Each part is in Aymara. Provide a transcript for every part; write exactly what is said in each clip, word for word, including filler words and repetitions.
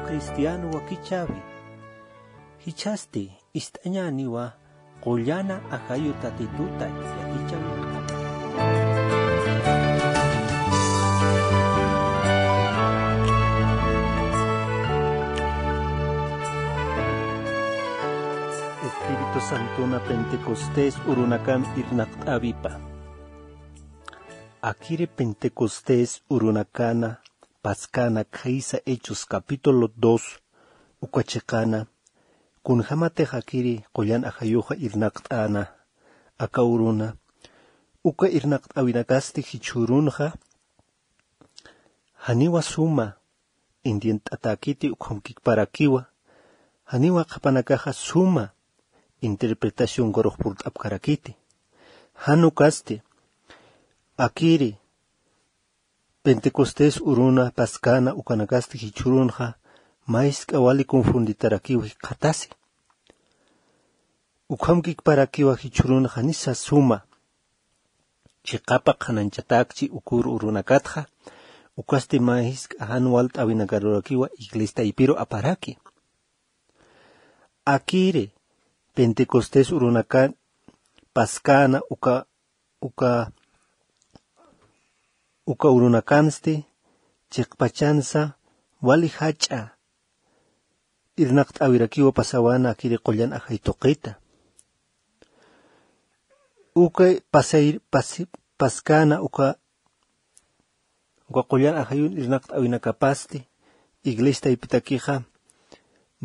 Cristiano wakichäwi. Jichhasti ist'añäniwa qullana ajayu Tatituta yatichäwinakama. Espíritu Santona Pentecostés urunakan irnaqt'äwipa. Akiri Pentecostés urunakana Paskäna khaysa Hechos capítulo dos uka chiqana, kunjämatix akiri qullan ajayuxa irnaqt'äna aka uruna, uka irnaqt'äwinakasti jichhürunxa janiwa suma entiendt'atäkiti, ukhamkikparakiwa, janiwa qhipanakaxa suma interpretación ukarux purt'apkarakiti. Jan ukasti, akiri Pentecostés uruna Paskäna ukanakasti jichhürunxa mä jisk'a wali confunditarakiw jikxatasi. Ukhamkikparakiwa jichhürunxa janisa suma chiqapa qhananchatäkchi ukur urunakatxa, ukasti mä jisk'a jan walt'äwinakarurakiwa iglesia taypiru aparaki. Akiri Pentecostés urunakan Paskäna uka uka uka urunakansti chiqpachansa wali jach'a irnaqt'äwirakiwa pasawana akiri qullan ajay tuqita. Uka pasay pasi paskäna uka uka qullan ajayun irnaqt'äwinakapasti iglesia taypitakixa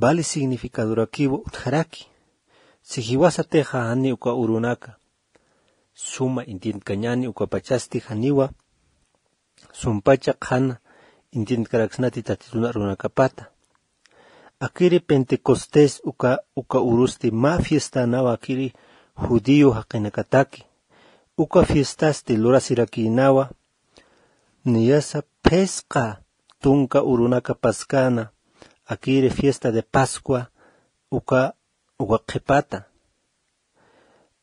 vali significadorakiwa utjaraki. Si jiwasatixa jani uka urunaka suma entiendkañäni, ukapachasti janiwa sumpacha qhana entiendkaraksnati Tatitun arunakapata. Akiri Pentecostés uka uka urusti mä fiestanawa akiri judío jaqinakataki. Uka fiestasti lurasirakïnawa niyasa phisqa tunka urunaka Paskäna, akiri fiesta de Pascua uka uka qhipata.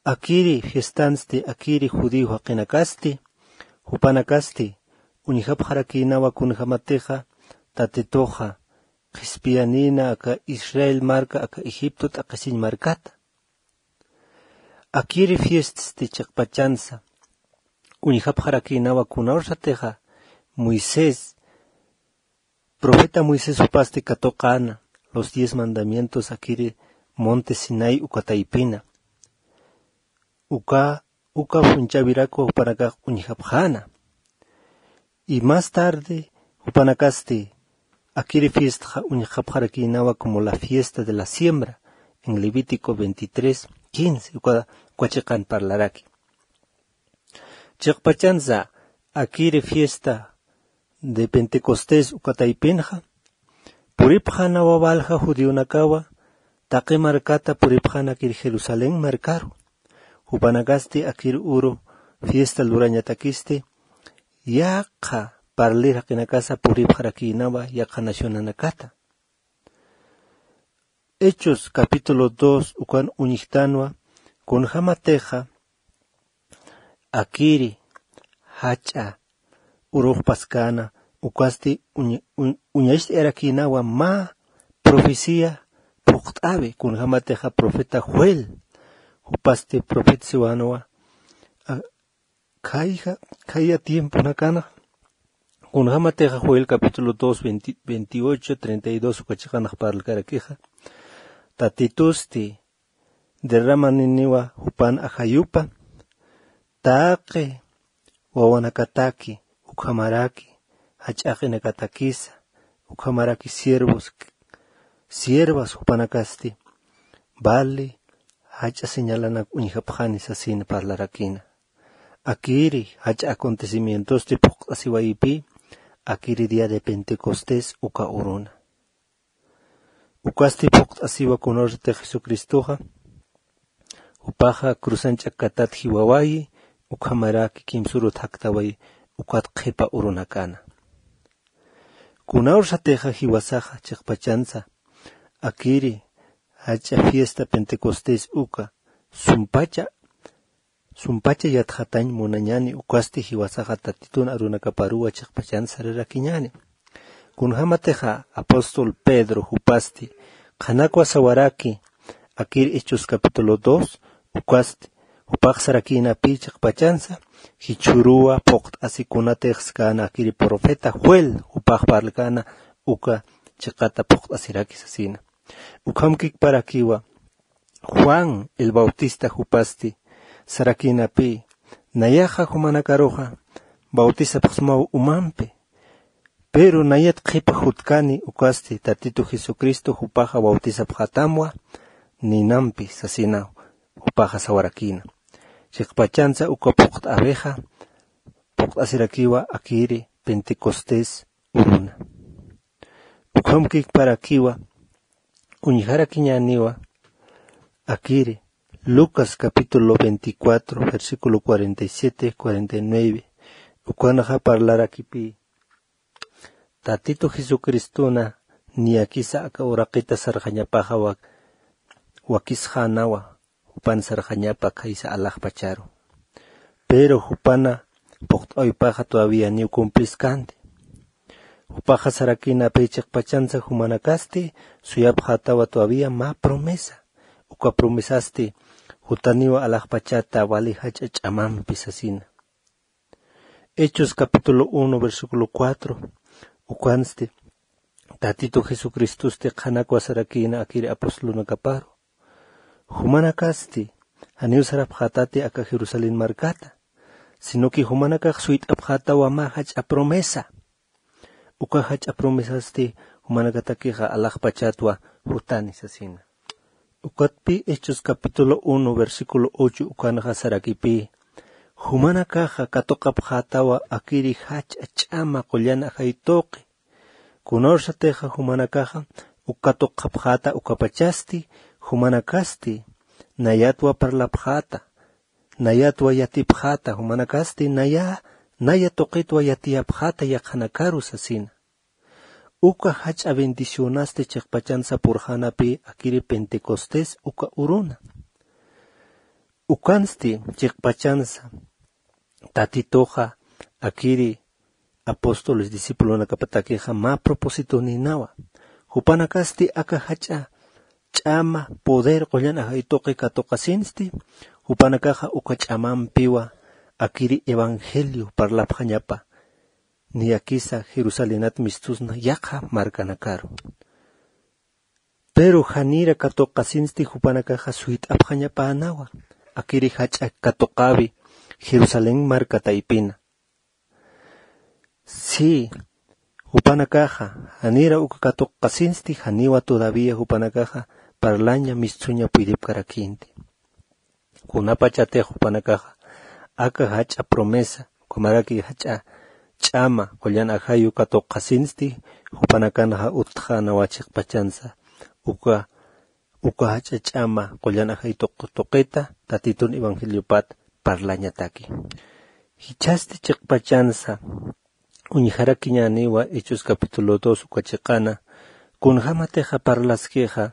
Akiri fiestansti akiri judío jaqinakasti, jupanakasti uñjapxarakïnawa kunjämatixa Tatituxa qhispiyanïna aka Israel marka aka Egipto t'aqhisiñ markata. Akiri fieststi chiqpachansa uñjapxarakïnawa kunawsatixa Moisés, profeta Moisés jupasti katuqäna los diez mandamientos akiri monte Sinaí uka taypina. Uka uka phunchäwirakwa jupanakax uñjapxäna. Y más tarde jupanakasti akiri fiestaxa uñjapxarakïnawa como la fiesta de la siembra en Levítico veintitrés quince, uka uka chiqan parlaraki. Chiqpachansa akiri fiesta de Pentecostés uka taypinxa puripxänawa walja judionakawa taqi markata puripxänakir Jerusalén markaru. Jupanakasti akir uru fiesta lurañatakisti yaqha parlir jaqinakasa puripxarakïnawa yaqha nacionanakata. Hechos capítulo dos ukan uñjtanwa kunjämatixa akiri jach'a urux Paskäna ukasti uñ- uñ- uñacht'ayarakïnawa mä profecía phuqt'äwi kunjämatixa profeta Joel. Jupasti profetasiwanwa a- khayja khaya tiemponakanxa. Kunjämatixa Joel capítulo dos veintiocho treinta y dos uka chiqanx parlkarakixa, Tatitusti derramaniniwa jupan ajayupa taqi wawanakataki ukhamaraki jach'a jaqinakatakisa ukhamaraki siervos siervas jupanakasti vali jach'a señalanak uñjapxani sasina parlarakïna. Akiri jach'a acontecimientosti phuqt'asiwayipï akiri día de Pentecostés uka uruna. Ukasti phuqt'asiwa kunawsatix Jesucristoxa jupaxa cruzan ch'akkatat jiwawayi ukhamaraki kimsürut jaktawayi ukat qhipa urunakana. Kunawsatixa jiwasaxa chiqpachansa akiri jach'a fiesta Pentecostés uka sumpacha sumpacha yatxatañ munañani ukasti jiwasaxa Tatitun arunakaparuwa chiqpachan sarirakiñani. Kunjamatixa apóstol Pedro jupasti qhanakwa sawaraki, akir Hechos capítulo dos, ukasti, jupax sarakïnapï chiqpachansa, jichhüruwa phuqt'asikunatix skäna akiri profeta Joel, jupax parlkäna uka chiqata phuqt'asiraki sasina. Ukham kikparakiwa, Juan el Bautista jupasti sarakïnapï, nayaxa jumanakaruxa bautisapxsmaw umampi, pero nayat qhipa jutkani ukasti Tatitu Jesucristo jupaxa bautisapxätamwa ninampi sasinaw, jupaxa sawarakïna. Chiqpachansa uka phuqt'äwixa phuqt'asirakiwa akiri Pentecostés uruna. Ukham kikparakiwa, uñjarakiñäniwa akiri Lucas capítulo veinticuatro, versículo cuarenta y siete, cuarenta y nueve. Ukanxa parlarakipï, Tatitu Jesucristona niyakisa aka uraqita sarxañapaxa wak-, wakisxänawa, jupan sarxañapa khaysa alaxpacharu. Pero jupana phuqt'äwipaxa todavía niw cumpliskänti. Jupaxa sarakïnapï chiqpachansa jumanakasti suyapxätawa todavía mä promesa. Uka promesasti jutaniwa alaxpachata wali jach'a ch'amampi sasina. Hechos capítulo uno, versículo cuatro, ukansti, Tatitu Jesucristosti qhanakwa sarakïna akiri apostolunakaparu. Jumanakasti, janiw sarapxätati aka Jerusalén markata, sino que jumanakax suyt'apxätawa mä jach'a promesa. Uka jach'a promesasti jumanakatakixa alaxpachatwa jutani sasina. Ukatpï Hechos capítulo uno, versículo ocho ukanxa sarakipï, jumanakaxa katuqapxätawa akiri jach'a ch'ama qullan ajay tuqi. Kunawsatixa jumanakaxa uk katuqapxäta ukapachasti, jumanakasti nayatwa parlapxäta, nayatwa yatipxäta, jumanakasti naya, naya tuqitwa yatiyapxäta yaqhanakaru sasina. Uka jach'a bendicionasti chiqpachansa purxänapï akiri Pentecostés uka uruna. Ukansti chiqpachansa Tatituxa akiri apóstoles discipulonakapatakixa mä propósitonïnawa. Jupanakasti aka jach'a ch'ama poder qullan ajay tuqi katuqasinsti, jupanakaxa uka ch'amampiwa akiri evangelio parlapxañapa, niyakisa Jerusalenat mistusna yaqha markanakaru. Pero janira katuqasinsti jupanakaxa suyt'apxañapänawa akiri jach'a katuqäwi Jerusalén marka taypina. Sí, jupanakaxa janira uka katuqasinsti, janiwa todavía jupanakaxa parlaña mistsuña puydipkarakïnti. Kunapachatix jupanakaxa aka jach'a promesa, ukhamaraki jach'a ch'ama qullan ajayu katuqasinsti, jupanakanxa utjänawa chiqpachansa uka, uka jach'a ch'ama qullan ajay tuq-, tuqita Tatitun evangeliopat parlañataki. Jichhasti chiqpachansa uñjarakiñäniwa Hechos capítulo dos uka chiqana, kunjamatixa parlaskixa,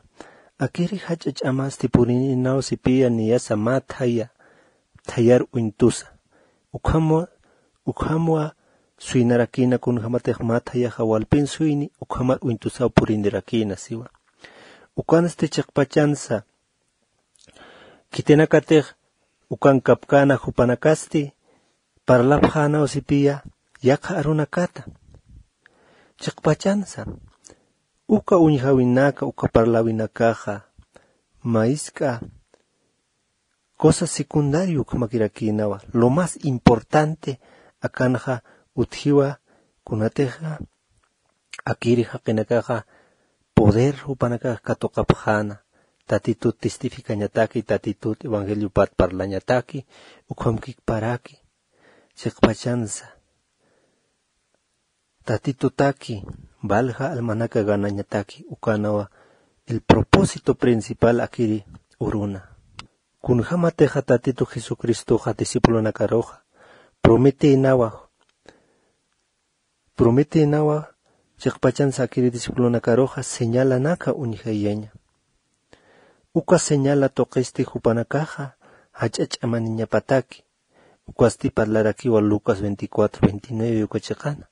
akiri jach'a ch'amasti purininaw sipiya niyasa mä thaya, thayar uñtusa. Ukhamwa, ukhamwa suynarakïna kunjamatix mä thayaxa walpin suyni, ukhamar uñtusaw purinirakïna siwa. Ukansti chiqpachansa, khitinakatix ukan kapkäna jupanakasti parlapxänaw sipiya yaqha arunakata. Chiqpachansa, uka uñjäwinaka, uka parläwinakaxa, mä jisk'a cosa secundario ukhamakirakïnawa. Lo más importante akanxa utjiwa kunatixa akiri jaqinakaxa poder jupanakax katuqapxäna, Tatitut testificañataki, Tatitut evangeliopat parlañataki, ukham kikparaki, chiqpachansa Tatitutaki valja almanaka ganañataki, ukanawa el propósito principal akiri uruna. Kunjamatixa Tatitu Jesucristoxa discipulonakaruxa prometïnawa, prometïnawa chiqpachansa akiri discipulonakaruxa señalanaka uñjayaña. Uka señala tuqisti jupanakaxa jach'a ch'amaniñapataki. Ukasti parlarakiwa Lucas veinticuatro veintinueve uka chiqana.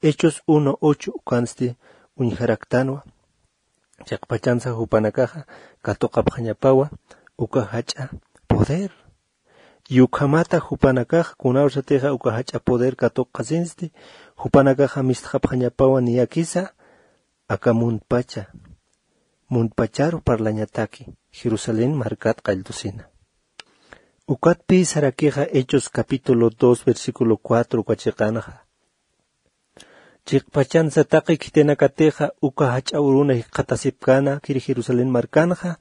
Hechos uno ocho ukansti uñjaraktanwa. Chiqpachansa jupanakaxa katuqapxañapawa uka jach'a poder. Y ukhamata jupanakaxa kunawsatixa uka jach'a poder katuqasinsti, jupanakaxa mistxapxañapawa niyakisa aka muntpacha, muntpacharu parlañataki Jerusalén markat qalltusina. Ukatpï sarakixa Hechos capítulo dos versículo cuatro uka chiqanxa. Chiqpachansa taqi khitinakatixa uka jach'a uruna jikxatasipkäna akiri Jerusalén markanxa,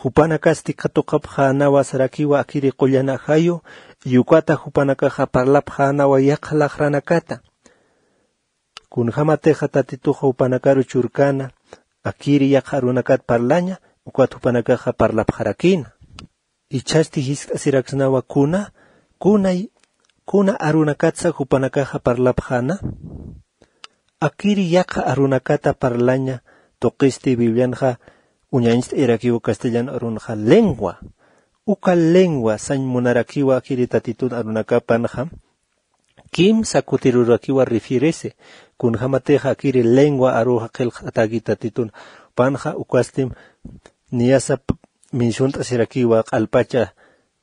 jupanakasti katuqapxänawa sarakiwa akiri qullan ajayu, y ukata jupanakaxa parlapxänawa yaqha laxranakata. Kunjämatixa Tatituxa jupanakaru churkäna, akiri yaqha arunakat parlaña, ukat jupanakaxa parlapxarakïna. Ichhasti jiskt'asiraksnawa kuna, kuna, kuna arunakatsa jupanakaxa parlapxäna. Akiri yaqha arunakata parlaña tuqisti Biblianxa uñañcht'ayarakiwa castellano arunxa lengua. Uka lengua sañ munarakiwa akiri Tatitun arunakapanxa, kimsa kutirurakiwa refierese. Kunjämatixa akiri lengua aruxa qillqt'ataki Tatitun panxa, ukastim niyasa p-, menciont'asirakiwa q'alpacha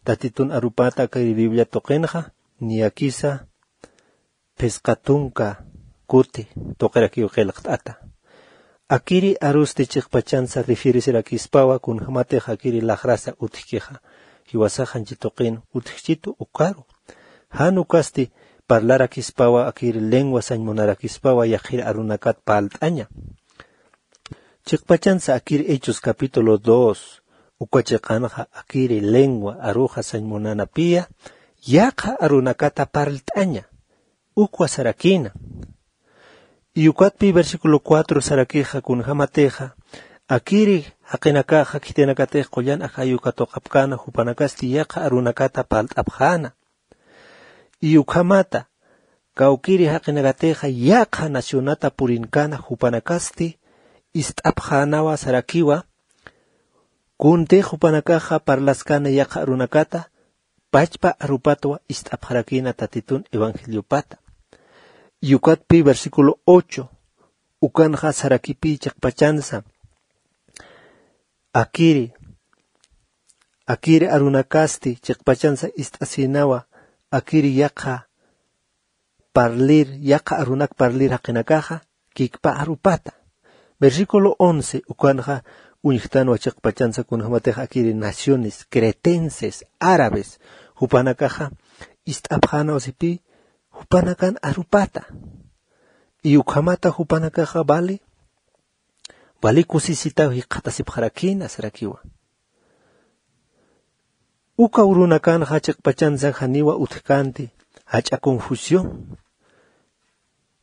Tatitun arupata akiri Biblia tuqinxa, niyakisa phisqa tunka kuti tuqirakiw qillqt'ata. Akiri arusti chiqpachansa refieresirakispawa, kunjämatix akiri laxrasa utjkixa, jiwasax janchi tuqin utjchitu ukaru. Jan ukasti parlarakispawa, akiri lengua sañ munarakispawa yaqhir arunakat parlt'aña. Chiqpachansa akiri Hechos capítulo dos uka chiqanxa akiri lengua aruxa sañ munanapïya yaqha arunakata parlt'aña, ukwa sarakïna. Y ukatpï versículo cuatro sarakixa kunjämatixa akiri jaqinakaxa khitinakatix qullan ajayu katuqapkäna, jupanakasti yaqha arunakata parlt'apxäna. Y ukhamata kawkiri jaqinakatixa yaqha nacionata purinkäna, jupanakasti ist'apxänawa sarakiwa, kuntix jupanakaxa parlaskäna yaqha arunakata, pachpa arupatwa ist'apxarakïna Tatitun evangeliopata. Y ukatpï versículo ocho ukanxa sarakipï chiqpachansa akiri, akiri arunakasti chiqpachansa ist'asïnawa akiri yaqha parlir, yaqha arunak parlir jaqinakaxa kikpa arupata. Versículo once ukanxa uñjtanwa chiqpachansa kunjämatix akiri naciones cretenses, árabes, jupanakaxa ist'apxänawasipï jupanakan arupata. Y ukhamata jupanakaxa vali, vali kusisitaw jikxatasipxarakïna sarakiwa. Uka urunakanxa chiqpachansa janiwa utjkänti jach'a confusión.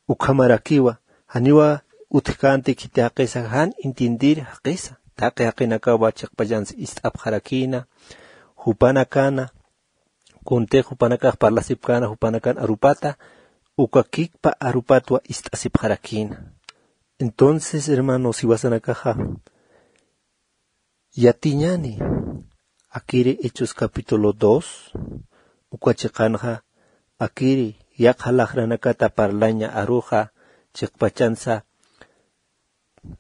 Ukhamarakiwa janiwa utjkänti khiti jaqisa jan entiendir jaqisa. Taqi jaqinakawa chiqpachansa ist'apxarakïna, jupanakana, kuntix jupanakax parlasipkäna jupanakan arupata, uka kikpa arupatwa ist'asipxarakïna. Entonces, hermanos, jiwasanakaxa yatiñäni akiri Hechos capítulo dos uka chiqanxa akiri yaqha laxranakata parlaña aruxa chiqpachansa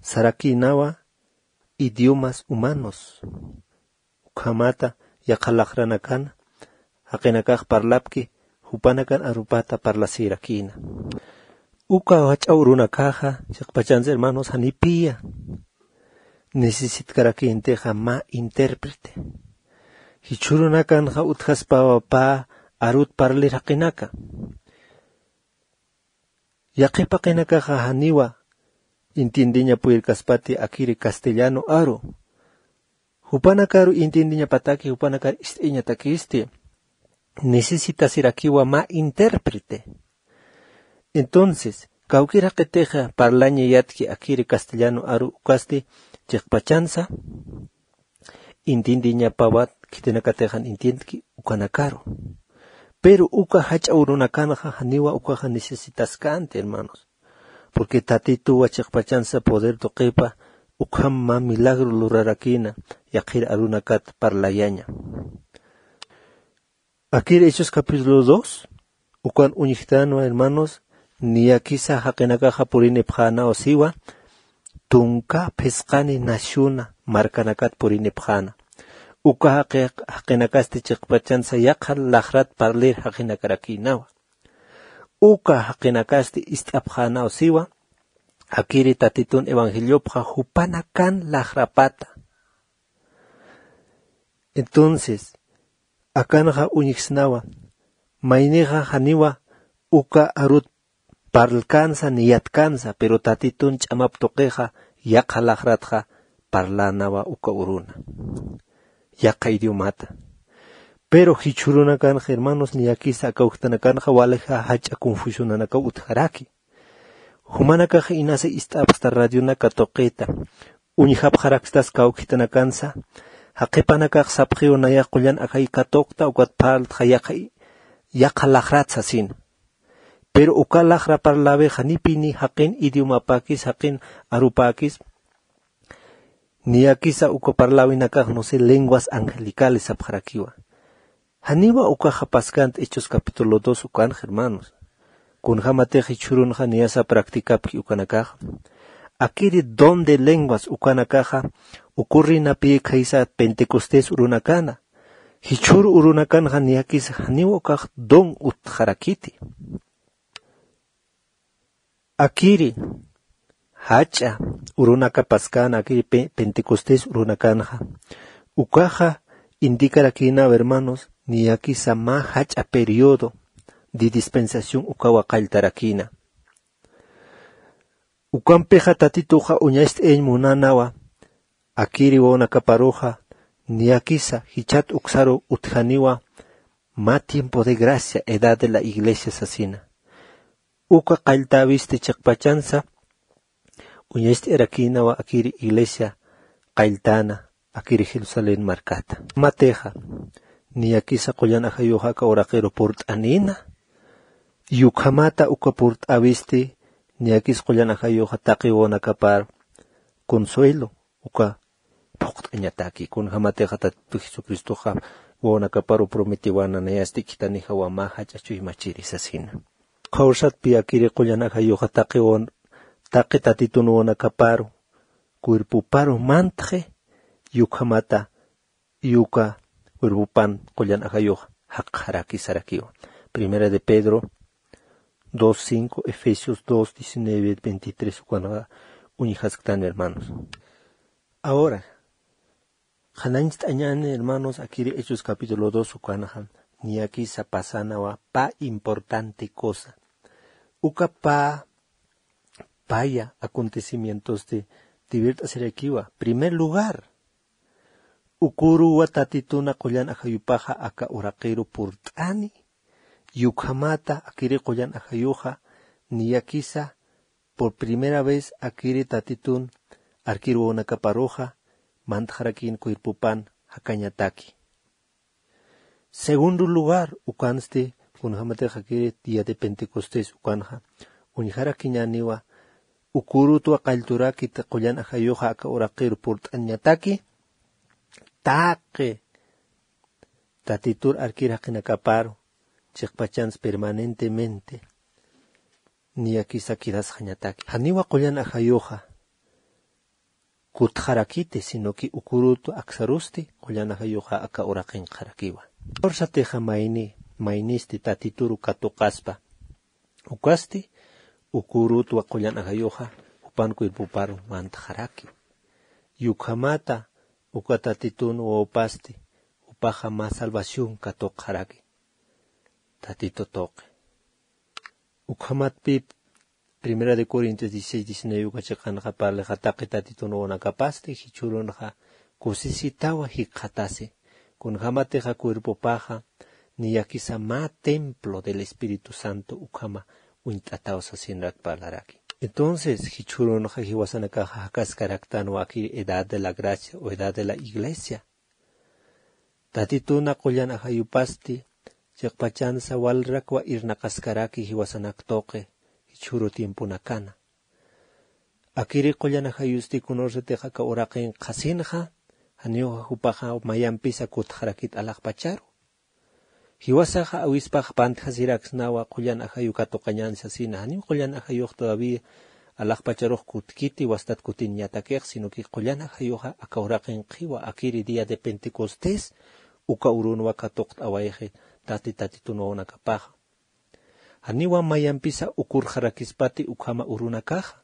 sarakïnawa idiomas humanos. Ukhamata yaqha laxranakana jaqinakax parlapki jupanakan arupata parlasïrakïna. Uka jach'a urunakaxa chiqpachansa hermanos janipïya necesitkarakïntixa mä intérprete. Jichhürunakanxa utjaspawa pä arut parlir jaqinaka. Yaqhip jaqinakaxa janiwa entiendeña puyirkaspati akiri castellano aru. Jupanakaru entiendeñapataki, jupanakar ist'iñatakisti necesitasirakiwa mä intérprete. Entonces kawkir jaqitixa parlañayatki akiri castellano aru ukasti chiqpachansa entiendeñapawat khitinakatix jan entiendki ukanakaru. Pero uka jach'a urunakanxa janiwa ukaxa necesitaskänti hermanos. Porque Tatituwa chiqpachansa poder tuqipa ukham mä milagro lurarakïna yaqhir arunakat parlayaña. Akir Hechos capítulo dos ukan uñjtanwa hermanos, Niyakisa jaqinakaxa purinipxänaw siwa tunka phisqani nasyuna markanakat purinipxäna. Uka jaqi- jaqinakasti chiqpachansa yaqha laxrat parlir jaqinakarakïnawa. Uka jaqinakasti ist'apxänaw siwa akiri tatitun evangeliopxa jupanakan laxrapata. Entonces akanxa uñjsnawa maynixa janiwa uka arut parlkänsa ni yatkansa pero tatitun ch'amap tuqixa yaqha laxratxa parlänawa uka uruna yaqha idiomata. Pero jichhürunakanxa hermanos niyakisa aka ujtanakanxa walixa jach'a confusionanakaw utjaraki. Jumanakax inasa ist'apxta radionaka tuqita uñjapxarakstas kawkitanakansa. Jaqhipanakax sapxiw nayax qullan ajay katuqta ukat parltxa yaqha laxrat sasina. Pero uka laxra parlawix janipini jaqin idiomapäkis jaqin arupäkis niyakisa uka parlawinakax no sé lenguas angelicales sapxarakiwa. Janiwa ukaxa paskant hechos capítulo dos ukanxa hermanos. Kunjämatix jichhürunxa niyasa practicapki ukanakaxa akiri don de lenguas ukanakaxa ukurrinapï khaysa pentecostés urunakana. Jichhür urunakanxa niyakisa janiwa ukax don utjarakiti. Akiri jach'a urunaka paskäna akiri pentecostés urunakanxa ukaxa indikarakïnaw hermanos niyakisa mä jach'a periodo de dispensación ukawa qalltarakïna. Ukampixa tatituxa uñacht'ayañ munanawa akiri wawanakaparuxa niyakisa jichhat uksaru utjaniwa mä tiempo de gracia edad de la iglesia sasina. Uka qalltäwisti chiqpachansa uñacht'ayarakïnawa akiri iglesia qalltäna akiri jerusalén markata. Matixa niyakisa qullan ajayuxa aka uraqiru purt'anïna. Yukhamata uka purt'äwisti niyakisa qullan ajayuxa taqi wawanakapar consuelo uka phuqt'añataki kunjämatixa tatitu jesucristoxa wawanakaparu prometiwana nayasti khithanixa wamä jach'a chuymachiri sasina. Qhawsatpi akiri qullan ajayuxa taqi wawan taqi tatitun wawanakaparu cuerpoparu mantxi yukhamata yuka cuerpopan qullan ajayux jaqxaraki sarakiwa. Primera de Pedro dos cinco, Efesios dos diecinueve, veintitrés ukanxa uñjasktan hermanos. Ahora qhanañcht'añäni hermanos akiri hechos capítulo dos ukanxa niyakisa pasanawa pä importante cosa. Uka pä paya acontecimientosti tiwirt'asirakiwa. Primer lugar, ukuruwa tatituna qullan ajayupaxa aka uraqiru purt'ani. Yukhamata akiri qullan ajayuxa niyakisa por primera vez akiri tatitun arkiru wawanakaparuxa mantxarakïn cuerpopan jakañataki. Segundo lugar ukansti kunjämatix akiri día de pentecostés ukanxa uñjarakiñäniwa ukurutwa qallturakit qullan ajayuxa aka uraqir purt'añataki taqi tatitur arkir jaqinakaparu chiqpachans permanentemente niyakisa quedasxañataki. Janiwa qullan ajayuxa kutxarakiti sino que ukurut aksarusti qullan ajayuxa aka uraqinqxarakiwa. Fuerzatixa mayni maynisti tatituru katuqaspa ukasti ukurutwa qullan ajayuxa jupan cuerpoparu mantxaraki. Yukhamata uka tatitun wawpasti jupaxa mä salvación katuqxaraki tatitu tuqi. Ukhamatpï primera de corintios dieciséis diecinueve uka chiqanxa parlixa taqi tatitun wawanakapasti jichhürunxa kusisitawa jikxatasi kunjämatixa cuerpopaxa niyakisa mä templo del espíritu santo ukhama uñt'ataw sasinarak parlaraki. Entonces jichhürunxa jiwasanakaxa jakaskaraktanwa akir edad de la gracia o edad de la iglesia. Tatituna qullan ajayupasti chiqpachansa walrakwa irnaqaskaraki jiwasanak tuqi jichhüru tiemponakana. Akiri qullan ajayusti kunursatix aka uraqin qhasinxa janiw jupaxa mayampisa kutxarakit alaxpacharu. Jiwasaxa awispax pantjasiraksnawa qullan ajayu katuqañan sasina, janiw qullan ajayux todavía alaxpacharux kutkiti wastat kutiñatakix, sino que qullan ajayuxa aka uraqinqiwa akiri día de Pentecostés uka urunwa katuqt'awayxi tati tatitun wawanakapaxa. Janiwa mayampisa ukurxarakispati ukhama urunakaxa.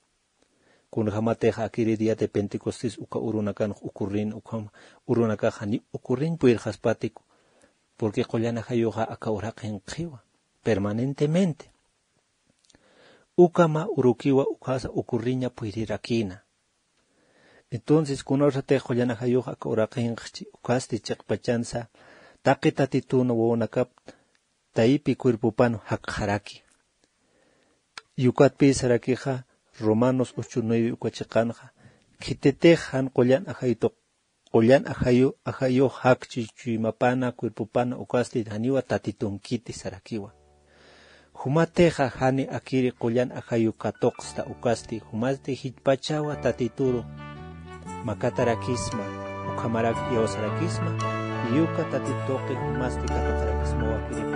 Kunjamatixa akiri día de Pentecostés uka urunakanx ukurrin ukhama urunakaxa janiw ukurrin puyirxaspatiku. Porque qullan ajayuxa aka uraqinqiwa permanentemente. Ukhama urukiwa ukhasa ukurriña puyirirakïna. Entonces kunawsatix qullan ajayux aka uraqinqchi ukhasti chiqpachansa taqi tatitun wawanakap taypi cuerpopan jakxaraki. Yukatpï sarakixa Romanos ocho nueve uka chiqanxa, khititix jan qullan ajayutuq qullan ajayu ajayux jakchi chuymapana cuerpopana ukasti janiwa tatitunkiti sarakiwa. Jumatixa jani akiri qullan ajayu katuqsta ukasti jumasti jichpachawa tatituru makatarakisma, ukhamarak iyawsarakisma, yuka tatituqi jumasti katuqarakismawa akiri